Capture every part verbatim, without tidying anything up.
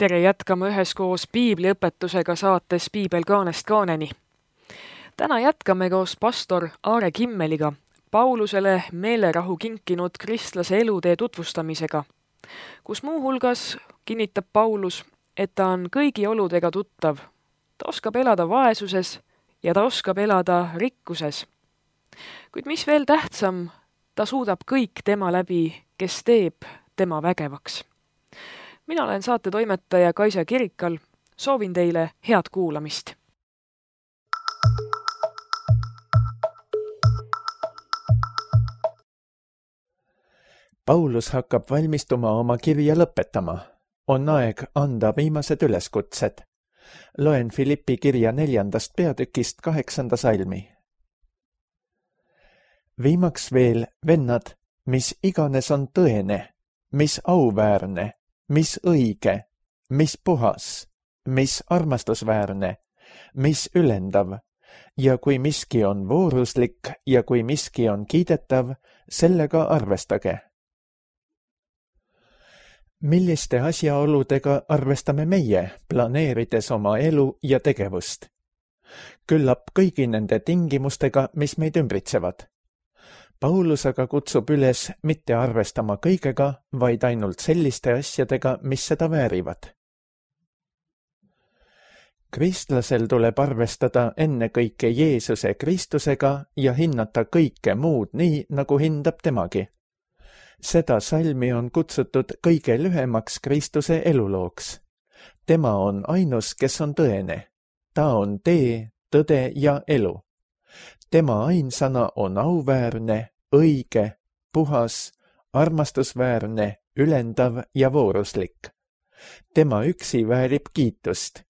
tere, jätkame üheskoos piibliõpetusega saates Piibel kaanest kaaneni. Täna jätkame koos pastor Aare Kimmeliga Paulusele meelerahu kinkinud kristlase elutee tutvustamisega, kus muuhulgas kinnitab Paulus, et ta on kõigi oludega tuttav. Ta oskab elada vaesuses ja ta oskab elada rikkuses. Kuid mis veel tähtsam, ta suudab kõik tema läbi, kes teeb tema vägevaks. Mina olen saate toimetaja Kaisa Kirikal. Soovin teile head kuulamist. Paulus hakkab valmistuma oma kirja lõpetama. On aeg anda viimased üleskutsed. Loen Filippi kirja neljandast peatükist kaheksanda salmi. Viimaks veel, vennad, mis iganes on tõene, mis auväärne, mis õige, mis puhas, mis armastusväärne, mis ülendav, ja kui miski on vooruslik ja kui miski on kiidetav, sellega arvestage. Milliste asjaoludega arvestame meie, planeerides oma elu ja tegevust? Küllap kõigi nende tingimustega, mis meid ümbritsevad. Paulus aga kutsub üles mitte arvestama kõigega, vaid ainult selliste asjadega, mis seda väärivad. Kristlasel tuleb arvestada ennekõike Jeesuse Kristusega ja hinnata kõike muud nii, nagu hindab temagi. Seda salmi on kutsutud kõige lühemaks Kristuse elulooks. Tema on ainus, kes on tõene. Ta on tee, tõde ja elu. Tema ainsana on auväärne, õige, puhas, armastusväärne, ülendav ja vooruslik. Tema üksi väärib kiitust.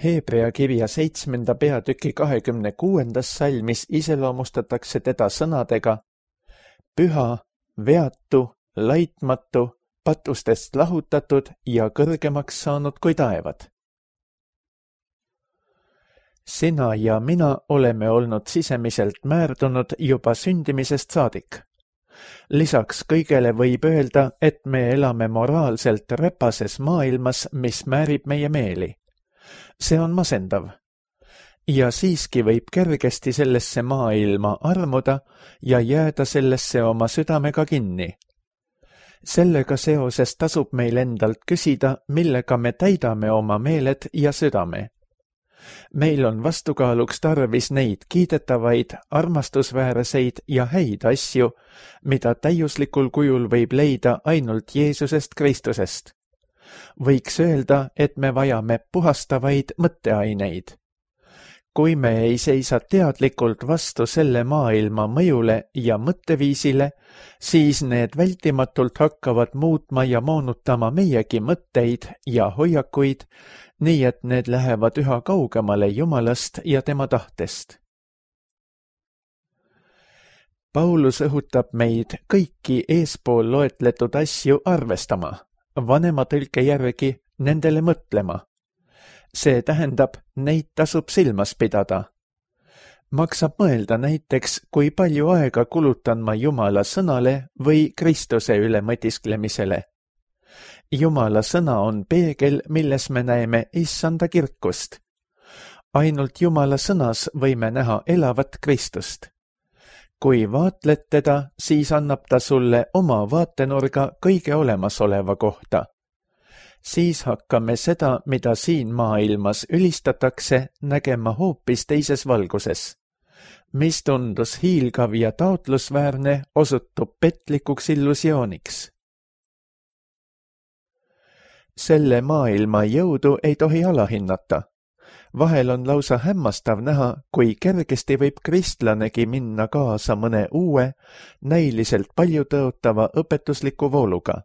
Heebrea kirja seitsmenda peatüki kahekümne kuuendas salmis iseloomustatakse teda sõnadega püha, veatu, laitmatu, patustest lahutatud ja kõrgemaks saanud kui taevad. Sina ja mina oleme olnud sisemiselt määrdunud juba sündimisest saadik. Lisaks kõigele võib öelda, et me elame moraalselt räpases maailmas, mis määrib meie meeli. See on masendav. Ja siiski võib kergesti sellesse maailma armuda ja jääda sellesse oma südamega kinni. Sellega seoses tasub meil endalt küsida, millega me täidame oma meeled ja südame. Meil on vastukaaluks tarvis neid kiidetavaid, armastusväärseid ja häid asju, mida täiuslikul kujul võib leida ainult Jeesusest Kristusest. Võiks öelda, et me vajame puhastavaid mõtteaineid. Kui me ei seisa teadlikult vastu selle maailma mõjule ja mõtteviisile, siis need vältimatult hakkavad muutma ja moonutama meiegi mõtteid ja hoiakuid, nii et need lähevad üha kaugemale Jumalast ja tema tahtest. Paulus õhutab meid kõiki eespool loetletud asju arvestama, vanema tõlke järgi nendele mõtlema. See tähendab, neid tasub silmas pidada. Maksab mõelda näiteks, kui palju aega kulutan ma Jumala sõnale või Kristuse üle mõtisklemisele. Jumala sõna on peegel, milles me näeme issanda kirkust. Ainult Jumala sõnas võime näha elavat Kristust. Kui vaatled teda, siis annab ta sulle oma vaatenurga kõige olemasoleva kohta. Siis hakkame seda, mida siin maailmas ülistatakse, nägema hoopis teises valguses. Mis tundus hiilgav ja taotlusväärne, osutub petlikuks illusiooniks. Selle maailma jõudu ei tohi alahinnata. Vahel on lausa hämmastav näha, kui kergesti võib kristlanegi minna kaasa mõne uue, näiliselt palju tõotava õpetusliku vooluga.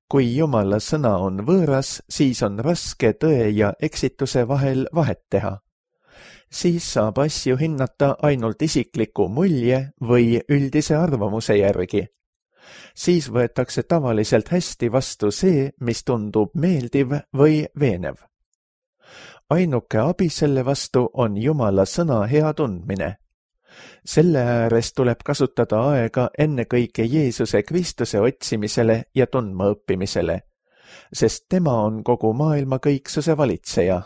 Kui Jumala sõna on võõras, siis on raske tõe ja eksituse vahel vahet teha. Siis saab asju hinnata ainult isikliku mulje või üldise arvamuse järgi. Siis võetakse tavaliselt hästi vastu see, mis tundub meeldiv või veenev. Ainuke abi selle vastu on Jumala sõna hea tundmine. Selle ääres tuleb kasutada aega ennekõike Jeesuse Kristuse otsimisele ja tundma õppimisele. sest tema on kogu maailma kõiksuse valitseja.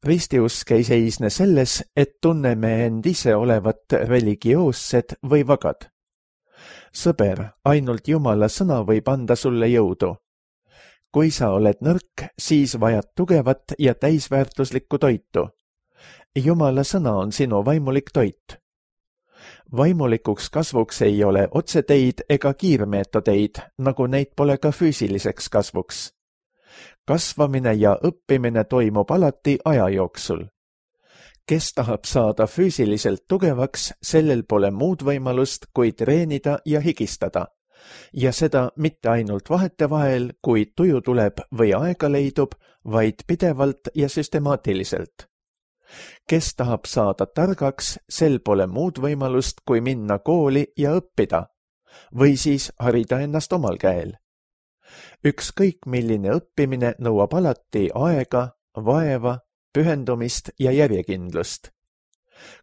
Ristiusk ei seisne selles, et tunneme end ise olevat religioossed või vagad. Sõber, ainult Jumala sõna võib anda sulle jõudu. Kui sa oled nõrk, siis vajad tugevat ja täisväärtuslikku toitu. Jumala sõna on sinu vaimulik toit. Vaimulikuks kasvuks ei ole otseteid ega kiirmeetodeid, nagu neid pole ka füüsiliseks kasvuks. Kasvamine ja õppimine toimub alati aja jooksul. Kes tahab saada füüsiliselt tugevaks, sellel pole muud võimalust, kui treenida ja higistada. Ja seda mitte ainult vahetevahel, kui tuju tuleb või aega leidub, vaid pidevalt ja süstemaatiliselt. Kes tahab saada targaks, sel pole muud võimalust, kui minna kooli ja õppida. Või siis harida ennast omal käel. Ükskõik milline õppimine nõuab alati aega, vaeva, pühendumist ja järjekindlust.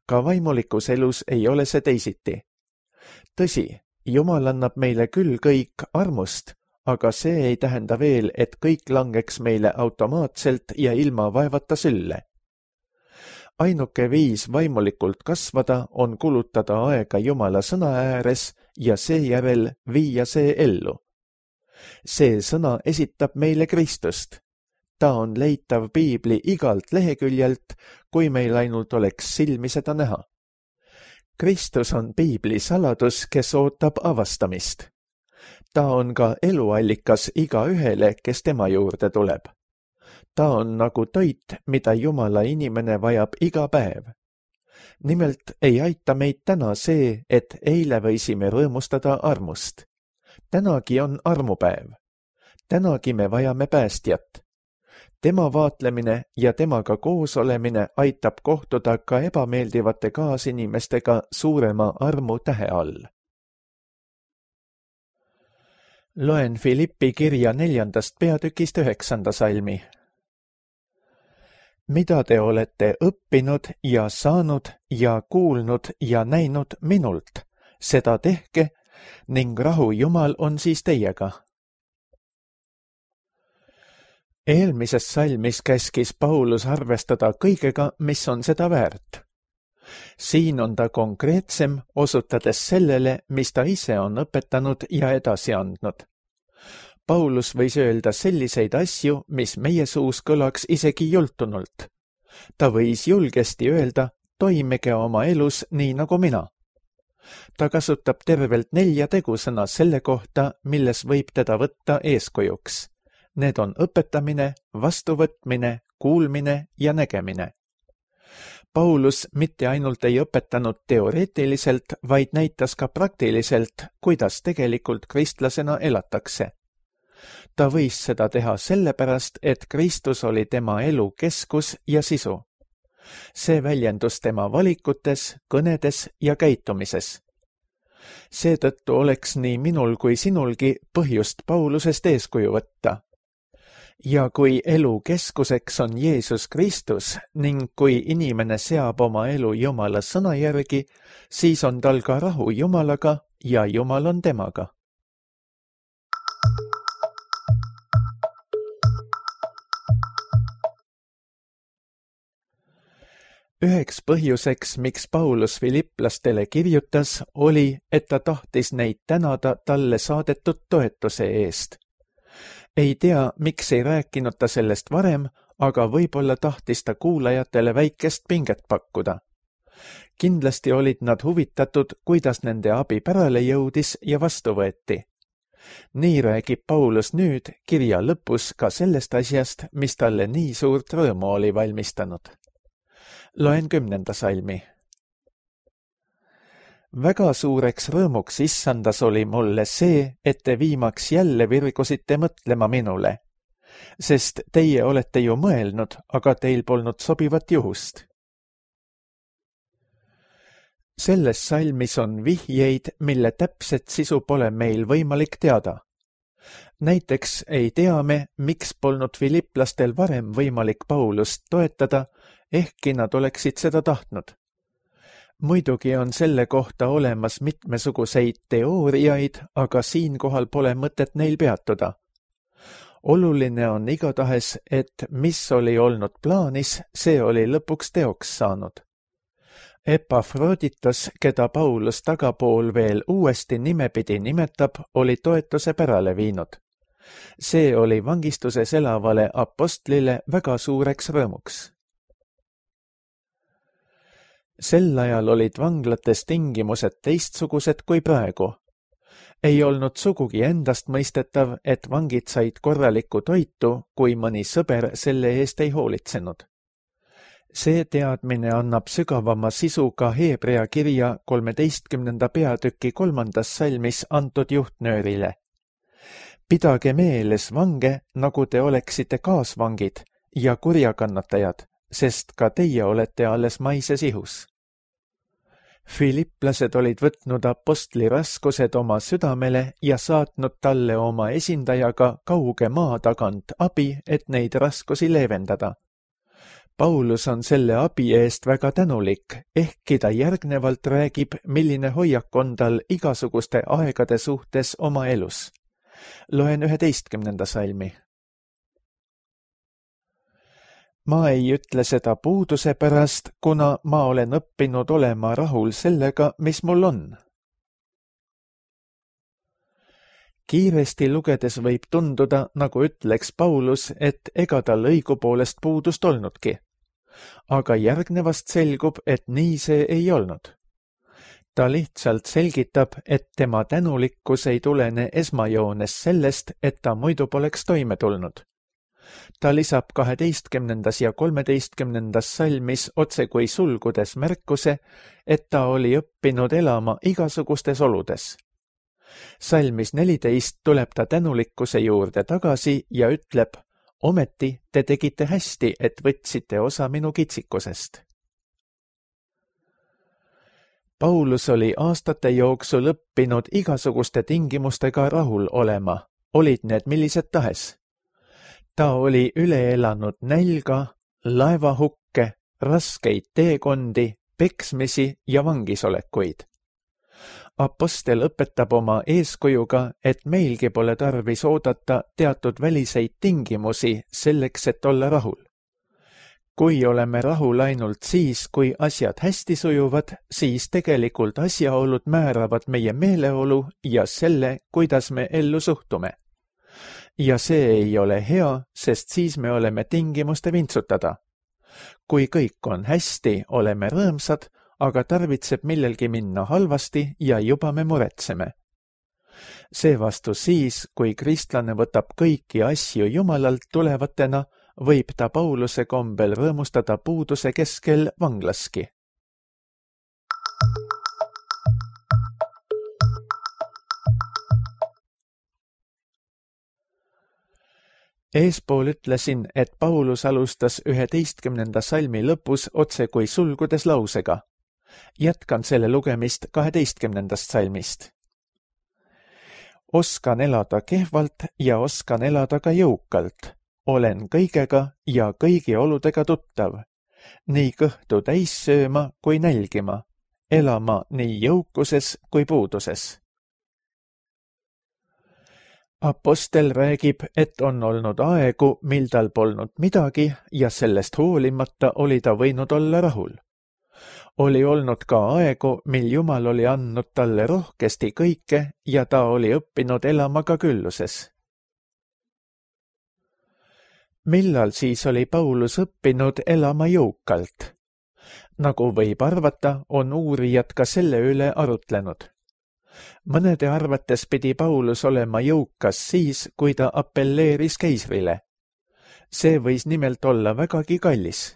Ka vaimulikus elus ei ole see teisiti. Tõsi, Jumal annab meile küll kõik armust, aga see ei tähenda veel, et kõik langeks meile automaatselt ja ilma vaevata sülle. Ainuke viis vaimulikult kasvada on kulutada aega Jumala sõna ääres ja seejärel viia see ellu. See sõna esitab meile Kristust. Ta on leitav piibli igalt leheküljelt, kui meil ainult oleks silmi seda näha. Kristus on piibli saladus, kes ootab avastamist. Ta on ka eluallikas igaühele, kes tema juurde tuleb. Ta on nagu toit, mida Jumala inimene vajab iga päev. Nimelt ei aita meid täna see, et eile võisime rõõmustada armust. Tänagi on armupäev. Tänagi me vajame päästjat. Tema vaatlemine ja temaga koos olemine aitab kohtuda ka ebameeldivate kaasinimestega suurema armu tähe all. Loen Filippi kirja neljandast peatükist üheksanda salmi. Mida te olete õppinud ja saanud ja kuulnud ja näinud minult, seda tehke, ning rahu Jumal on siis teiega. Eelmises salmis käskis Paulus arvestada kõigega, mis on seda väärt. Siin on ta konkreetsem, osutades sellele, mis ta ise on õpetanud ja edasi andnud. Paulus võis öelda selliseid asju, mis meie suus kõlaks isegi jultunult. Ta võis julgesti öelda, toimige oma elus nii nagu mina. Ta kasutab tervelt nelja tegusõna selle kohta, milles võib teda võtta eeskujuks. Need on õpetamine, vastuvõtmine, kuulmine ja nägemine. Paulus mitte ainult ei õpetanud teoreetiliselt, vaid näitas ka praktiliselt, kuidas tegelikult kristlasena elatakse. Ta võis seda teha sellepärast, et Kristus oli tema elu keskus ja sisu. See väljendus tema valikutes, kõnedes ja käitumises. Seetõttu oleks nii minul kui sinulgi põhjust Paulusest eeskuju võtta. Ja kui elu keskuseks on Jeesus Kristus ning kui inimene seab oma elu Jumala sõna järgi, siis on tal ka rahu Jumalaga ja Jumal on temaga. Üheks põhjuseks, miks Paulus filiplastele kirjutas, oli, et ta tahtis neid tänada talle saadetud toetuse eest. Ei tea, miks ei rääkinud ta sellest varem, aga võib-olla tahtis ta kuulajatele väikest pinget pakkuda. Kindlasti olid nad huvitatud, kuidas nende abi pärale jõudis ja vastu võeti. Nii räägib Paulus nüüd kirja lõpus ka sellest asjast, mis talle nii suurt rõõmu oli valmistanud. Loen kümnenda salmi. Väga suureks rõõmuks issandas oli mulle see, et te viimaks jälle virgusite mõtlema minule, sest teie olete ju mõelnud, aga teil polnud sobivat juhust. Selles salmis on vihjeid, mille täpset sisu pole meil võimalik teada. Näiteks ei tea me, miks polnud filiplastel varem võimalik Paulust toetada, ehkki nad oleksid seda tahtnud. muidugi on selle kohta olemas mitmesuguseid teooriaid, aga siinkohal pole mõtet neil peatuda. Oluline on igatahes, et mis oli olnud plaanis, see oli lõpuks teoks saanud. Epafroditos, keda Paulus tagapool veel uuesti nimepidi nimetab, oli toetuse pärale viinud. See oli vangistuses elavale apostlile väga suureks rõõmuks. Sel ajal olid vanglates tingimused teistsugused kui praegu. Ei olnud sugugi endast mõistetav, et vangid said korralikku toitu, kui mõni sõber selle eest ei hoolitsenud. See teadmine annab sügavama sisu ka Heebrea kirja kolmeteistkümnenda peatüki kolmandas salmis antud juhtnöörile. Pidage meeles vange, nagu te oleksite kaasvangid ja kurjakannatajad, sest ka teie olete alles maises ihus. Filiplased olid võtnud apostli raskused oma südamele ja saatnud talle oma esindajaga kauge maa tagant abi, et neid raskusi leevendada. Paulus on selle abi eest väga tänulik, ehkki ta järgnevalt räägib, milline hoiak on tal igasuguste aegade suhtes oma elus. Loen üheteistkümnenda salmi. Ma ei ütle seda puuduse pärast, kuna ma olen õppinud olema rahul sellega, mis mul on. Kiiresti lugedes võib tunduda, nagu ütleks Paulus, et ega tal õigupoolest puudust olnudki. Aga järgnevast selgub, et nii see ei olnud. Ta lihtsalt selgitab, et tema tänulikkus ei tulene esmajoones sellest, et ta muidu poleks toime tulnud. Ta lisab kaheteistkümnendas ja kolmeteistkümnendas salmis otse kui sulgudes märkuse, et ta oli õppinud elama igasugustes oludes. Salmis neliteist tuleb ta tänulikkuse juurde tagasi ja ütleb, ometi te tegite hästi, et võtsite osa minu kitsikusest. Paulus oli aastate jooksul õppinud igasuguste tingimustega rahul olema, olid need millised tahes. Ta oli üle elanud nälga, laevahukke, raskeid teekondi, peksmisi ja vangisolekuid. Apostel õpetab oma eeskujuga, et meilgi pole tarvis oodata teatud väliseid tingimusi selleks, et olla rahul. Kui oleme rahul ainult siis, kui asjad hästi sujuvad, siis tegelikult asjaolud määravad meie meeleolu ja selle, kuidas me ellu suhtume. Ja see ei ole hea, sest siis me oleme tingimuste vintsutada. Kui kõik on hästi, oleme rõõmsad, aga tarvitseb millelgi minna halvasti ja juba me muretseme. Seevastu siis, kui kristlane võtab kõiki asju Jumalalt tulevatena, võib ta Pauluse kombel rõõmustada puuduse keskel vanglaski. Eespool ütlesin, et Paulus alustas üheteistkümnenda salmi lõpus otse kui sulgudes lausega. Jätkan selle lugemist kaheteistkümnendast salmist. Oskan elada kehvalt ja oskan elada ka jõukalt. Olen kõigega ja kõigi oludega tuttav. Nii kõhtu täis sööma kui nälgima. Elama nii jõukuses kui puuduses. Apostel räägib, et on olnud aegu, mil tal polnud midagi ja sellest hoolimata oli ta võinud olla rahul. Oli olnud ka aegu, mil Jumal oli andnud talle rohkesti kõike ja ta oli õppinud elama ka külluses. Millal siis oli Paulus õppinud elama jõukalt? Nagu võib arvata, on uurijad ka selle üle arutlenud. Mõnede arvates pidi Paulus olema jõukas siis, kui ta appelleeris keisrile. See võis nimelt olla vägagi kallis.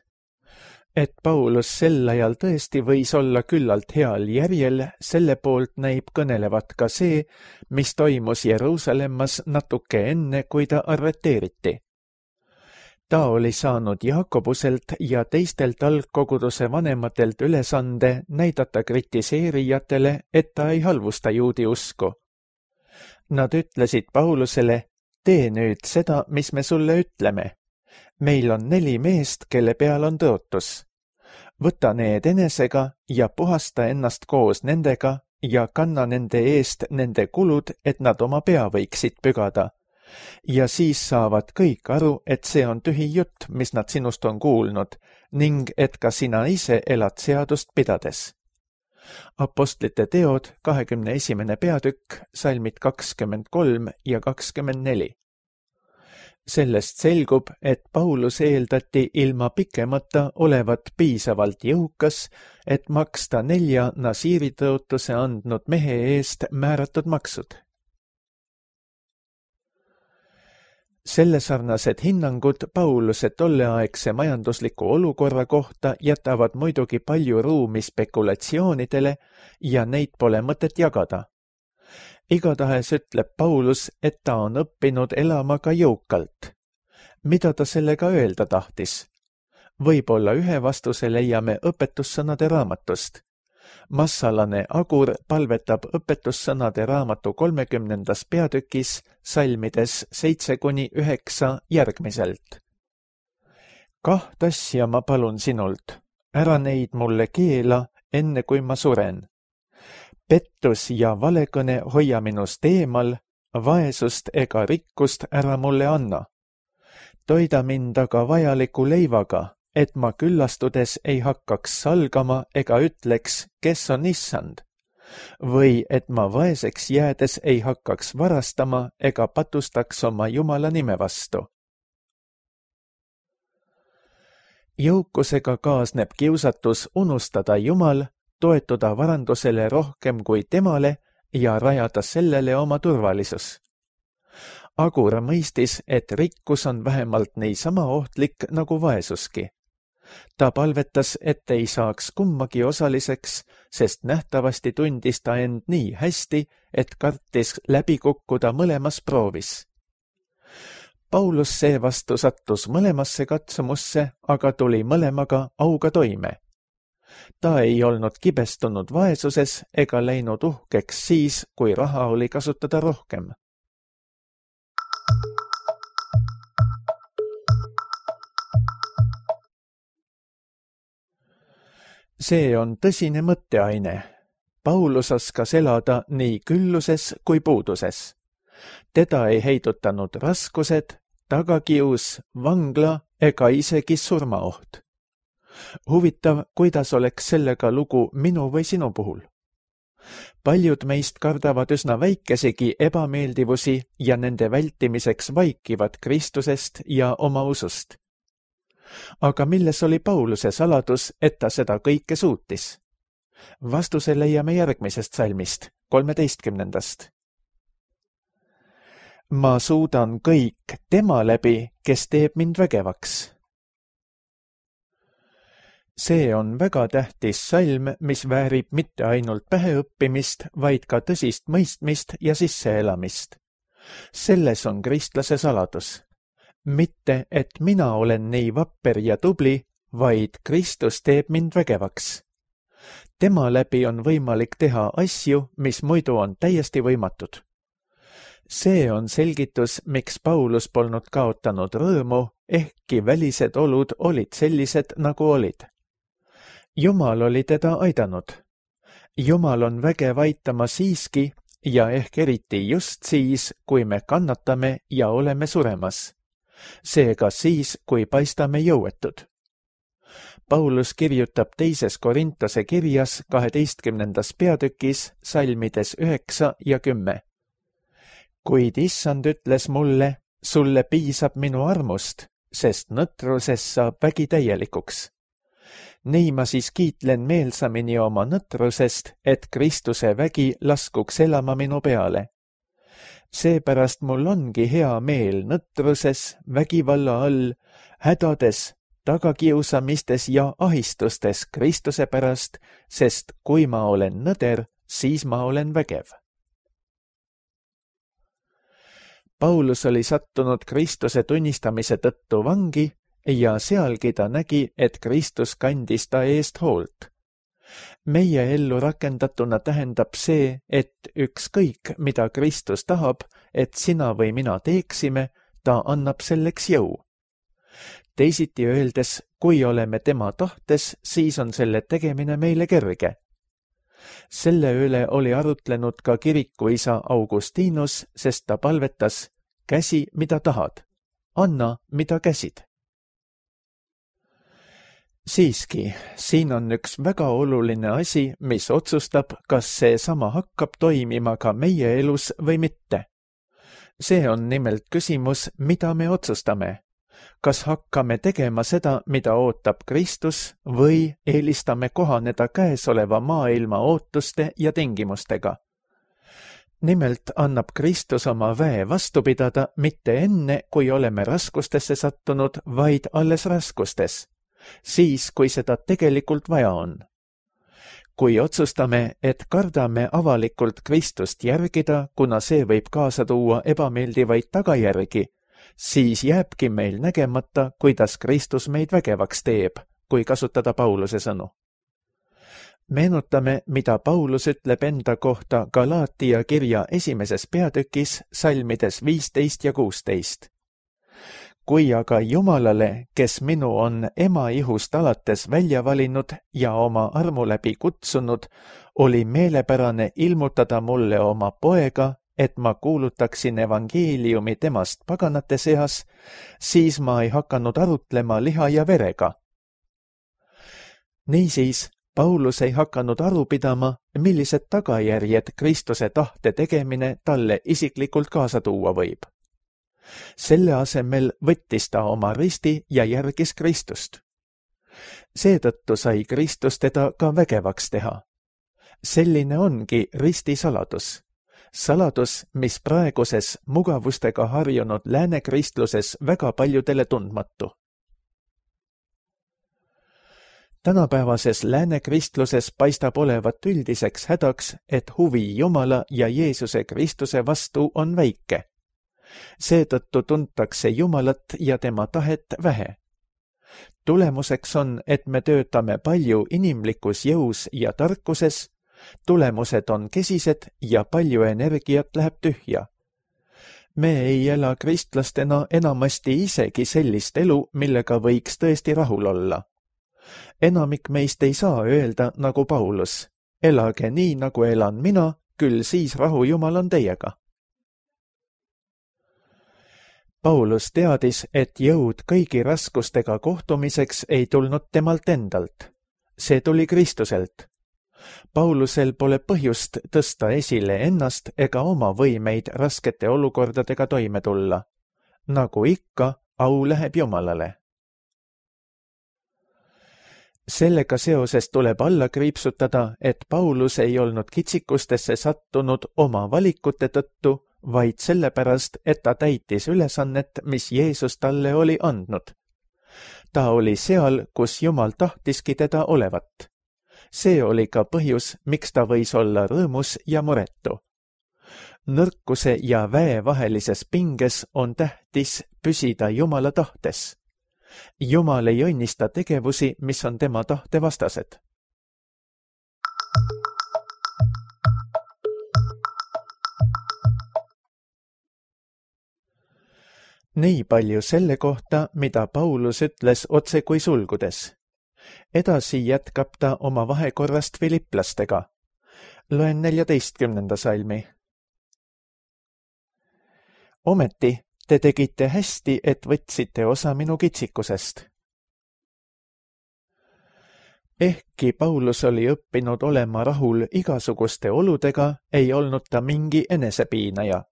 Et Paulus sel ajal tõesti võis olla küllalt heal järjel, selle poolt näib kõnelevat ka see, mis toimus Jeruusalemmas natuke enne, kui ta arreteeriti. Ta oli saanud Jaakobuselt ja teistelt algkoguduse vanematelt ülesande näidata kritiseerijatele, et ta ei halvusta juudi usku. Nad ütlesid Paulusele, tee nüüd seda, mis me sulle ütleme. Meil on neli meest, kelle peal on tõotus. võta need enesega ja puhasta ennast koos nendega ja kanna nende eest nende kulud, et nad oma pea võiksid pügada. Ja siis saavad kõik aru, et see on tühi jutt, mis nad sinust on kuulnud, ning et ka sina ise elad seadust pidades. Apostlite teod, kahekümne esimene peatükk, salmid kakskümmend kolm ja kakskümmend neli. Sellest selgub, et Paulus eeldati ilma pikemata olevat piisavalt jõukas, et maksta nelja nasiiritõotuse andnud mehe eest määratud maksud. Sellesarnased hinnangud Pauluse tolleaegse majandusliku olukorra kohta jätavad muidugi palju ruumi spekulatsioonidele ja neid pole mõtet jagada. Igatahes ütleb Paulus, et ta on õppinud elama ka jõukalt. Mida ta sellega öelda tahtis? Võib-olla ühe vastuse leiame õpetussõnade raamatust. Massalane Agur palvetab õpetussõnade raamatu kolmekümnendas peatükis salmides seitse kuni üheksa järgmiselt. Kaht asja ma palun sinult, ära neid mulle keela, enne kui ma suren. Pettus ja valekõne hoia minust eemal, vaesust ega rikkust ära mulle anna. Toida mind aga vajaliku leivaga, et ma küllastudes ei hakkaks salgama ega ütleks, kes on issand, või et ma vaeseks jäädes ei hakkaks varastama ega patustaks oma Jumala nime vastu. Jõukusega kaasneb kiusatus unustada Jumal, toetuda varandusele rohkem kui temale ja rajada sellele oma turvalisus. Agur mõistis, et rikkus on vähemalt niisama ohtlik nagu vaesuski. Ta palvetas, et ei saaks kummagi osaliseks, sest nähtavasti tundis ta end nii hästi, et kartis läbi kukkuda mõlemas proovis. Paulus seevastu sattus mõlemasse katsumusse, aga tuli mõlemaga auga toime. Ta ei olnud kibestunud vaesuses ega läinud uhkeks siis, kui raha oli kasutada rohkem. See on tõsine mõtteaine. Paulus oskas elada nii külluses kui puuduses. Teda ei heidutanud raskused, tagakius, vangla ega isegi surmaoht. Huvitav, kuidas oleks sellega lugu minu või sinu puhul. Paljud meist kardavad üsna väikesegi ebameeldivusi ja nende vältimiseks vaikivad Kristusest ja oma usust. Aga milles oli Pauluse saladus, et ta seda kõike suutis? Vastuse leiame järgmisest salmist, kolmeteistkümnendast. Ma suudan kõik tema läbi, kes teeb mind vägevaks. See on väga tähtis salm, mis väärib mitte ainult päheõppimist, vaid ka tõsist mõistmist ja sisseelamist. Selles on kristlase saladus. Mitte, et mina olen nii vapper ja tubli, vaid Kristus teeb mind vägevaks. Tema läbi on võimalik teha asju, mis muidu on täiesti võimatud. See on selgitus, miks Paulus polnud kaotanud rõõmu, ehkki välised olud olid sellised, nagu olid. Jumal oli teda aidanud. Jumal on vägev aitama siiski ja ehk eriti just siis, kui me kannatame ja oleme suremas. Seega siis, kui paistame jõuetud. Paulus kirjutab teises Korintuse kirjas kaheteistkümnendas peatükis salmides üheksa ja kümme. Kuid issand ütles mulle, sulle piisab minu armust, sest nõtruses saab vägi täielikuks. Nii ma siis kiitlen meelsamini oma nõtrusest, et Kristuse vägi laskuks elama minu peale. Seepärast mul ongi hea meel nõtruses, vägivalla all, hädades, tagakiusamistes ja ahistustes Kristuse pärast, sest kui ma olen nõder, siis ma olen vägev. Paulus oli sattunud Kristuse tunnistamise tõttu vangi ja sealgi ta nägi, et Kristus kandis ta eest hoolt. Meie ellu rakendatuna tähendab see, et ükskõik, mida Kristus tahab, et sina või mina teeksime, ta annab selleks jõu. teisiti öeldes, kui oleme tema tahtes, siis on selle tegemine meile kerge. Selle üle oli arutlenud ka kirikuisa Augustinus, sest ta palvetas, käsi, mida tahad, anna, mida käsid. Siiski, siin on üks väga oluline asi, mis otsustab, kas see sama hakkab toimima ka meie elus või mitte. See on nimelt küsimus, mida me otsustame. Kas hakkame tegema seda, mida ootab Kristus, või eelistame kohaneda käesoleva maailma ootuste ja tingimustega? Nimelt annab Kristus oma väe vastu pidada mitte enne, kui oleme raskustesse sattunud, vaid alles raskustes. Siis, kui seda tegelikult vaja on. Kui otsustame, et kardame avalikult Kristust järgida, kuna see võib kaasa tuua ebameeldivaid tagajärgi, siis jääbki meil nägemata, kuidas Kristus meid vägevaks teeb, kui kasutada Pauluse sõnu. Meenutame, mida Paulus ütleb enda kohta Galaatia kirja esimeses peatükis, salmides viisteist ja kuusteist. Kui aga Jumalale, kes minu on ema ihust alates välja valinud ja oma armu läbi kutsunud, oli meelepärane ilmutada mulle oma poega, et ma kuulutaksin evangeeliumi temast paganate seas, siis ma ei hakanud arutlema liha ja verega. Niisiis, Paulus ei hakanud aru pidama, millised tagajärjed Kristuse tahte tegemine talle isiklikult kaasa tuua võib. Selle asemel võttis ta oma risti ja järgis Kristust. Seetõttu sai Kristus teda ka vägevaks teha. Selline ongi risti saladus. Saladus, mis praeguses mugavustega harjunud lääne kristluses väga paljudele tundmatu. Tänapäevases lääne kristluses paistab olevat üldiseks hädaks, et huvi Jumala ja Jeesuse Kristuse vastu on väike. Seetõttu tuntakse Jumalat ja tema tahet vähe. Tulemuseks on, et me töötame palju inimlikus jõus ja tarkuses, tulemused on kesised ja palju energiat läheb tühja. Me ei ela kristlastena enamasti isegi sellist elu, millega võiks tõesti rahul olla. Enamik meist ei saa öelda nagu Paulus, elage nii, nagu elan mina, küll siis rahu Jumal on teiega. Paulus teadis, et jõud kõigi raskustega kohtumiseks ei tulnud temalt endalt. See tuli Kristuselt. Paulusel pole põhjust tõsta esile ennast ega oma võimeid raskete olukordadega toime tulla. Nagu ikka, au läheb Jumalale. Sellega seoses tuleb alla kriipsutada, et Paulus ei olnud kitsikustesse sattunud oma valikute tõttu, vaid sellepärast, et ta täitis ülesannet, mis Jeesus talle oli andnud. Ta oli seal, kus Jumal tahtiski teda olevat. See oli ka põhjus, miks ta võis olla rõõmus ja muretu. Nõrkuse ja väe vahelises pinges on tähtis püsida Jumala tahtes. Jumal ei õnnista tegevusi, mis on tema tahte vastased. Nii palju selle kohta, mida Paulus ütles otse kui sulgudes. Edasi jätkab ta oma vahekorrast filiplastega. Loen neljateistkümnenda salmi. Ometi te tegite hästi, et võtsite osa minu kitsikusest. Ehkki Paulus oli õppinud olema rahul igasuguste oludega, ei olnud ta mingi enesepiinaja.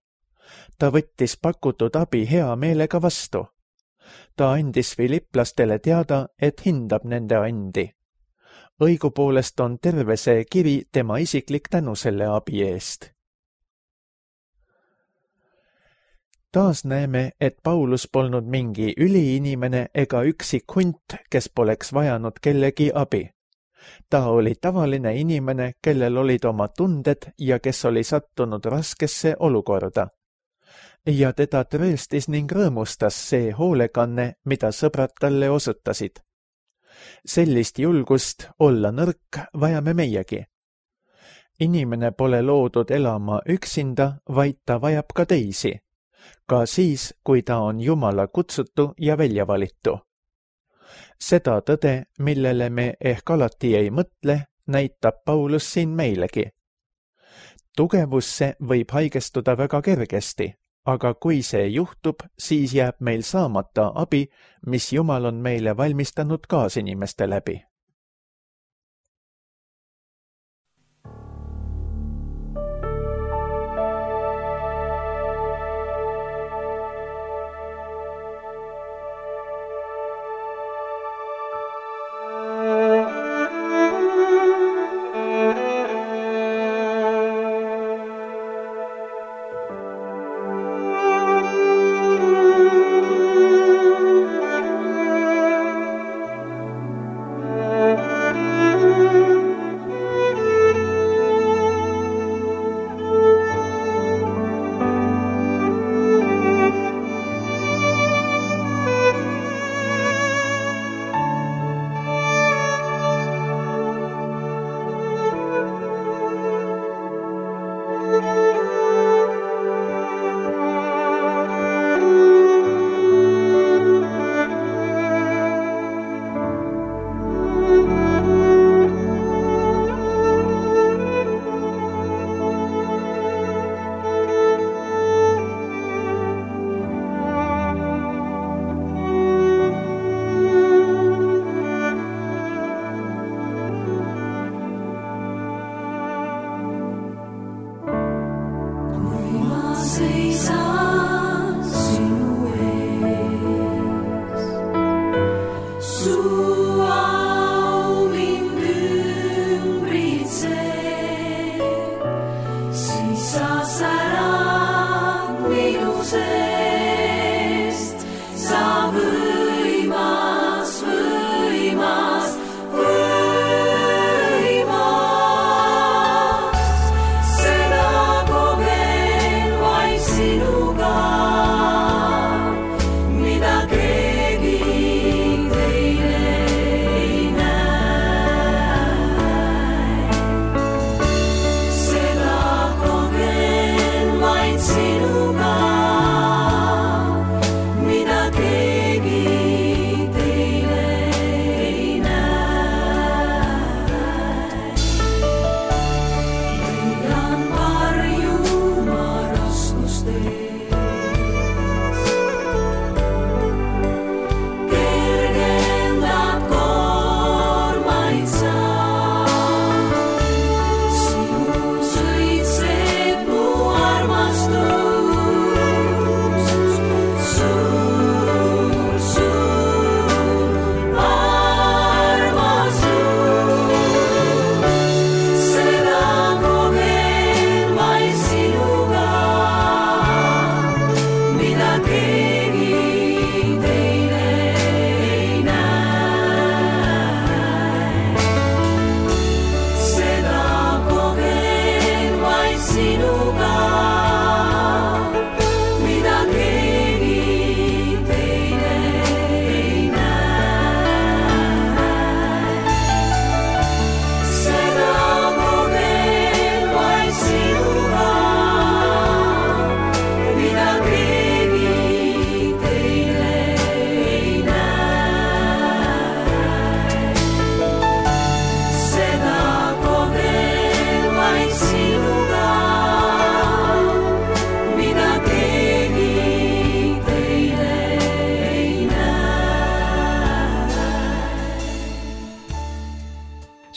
Ta võttis pakutud abi hea meelega vastu. Ta andis filiplastele teada, et hindab nende andi. Õigupoolest on terve see kiri tema isiklik tänu selle abi eest. Taas näeme, et Paulus polnud mingi üliinimene ega üksik hunt, kes poleks vajanud kellegi abi. Ta oli tavaline inimene, kellel olid oma tunded ja kes oli sattunud raskesse olukorda. Ja teda trööstis ning rõõmustas see hoolekanne, mida sõbrad talle osutasid. Sellist julgust olla nõrk vajame meiegi. Inimene pole loodud elama üksinda, vaid ta vajab ka teisi. Ka siis, kui ta on Jumala kutsutu ja väljavalitu. seda tõde, millele me ehk alati ei mõtle, näitab Paulus siin meilegi. Tugevusse võib haigestuda väga kergesti, aga kui see juhtub, siis jääb meil saamata abi, mis Jumal on meile valmistanud kaasinimeste läbi.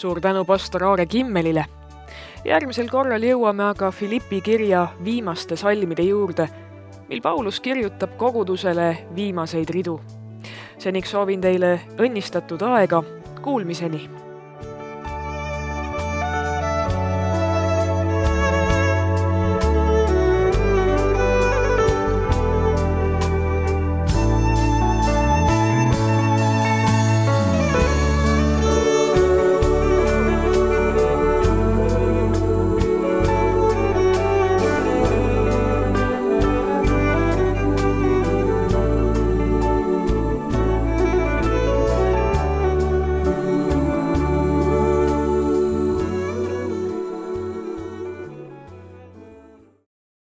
Suur tänu pastor Aare Kimmelile. Järgmisel korral jõuame aga Filippi kirja viimaste salmide juurde, mil Paulus kirjutab kogudusele viimaseid ridu. Seniks soovin teile õnnistatud aega, kuulmiseni!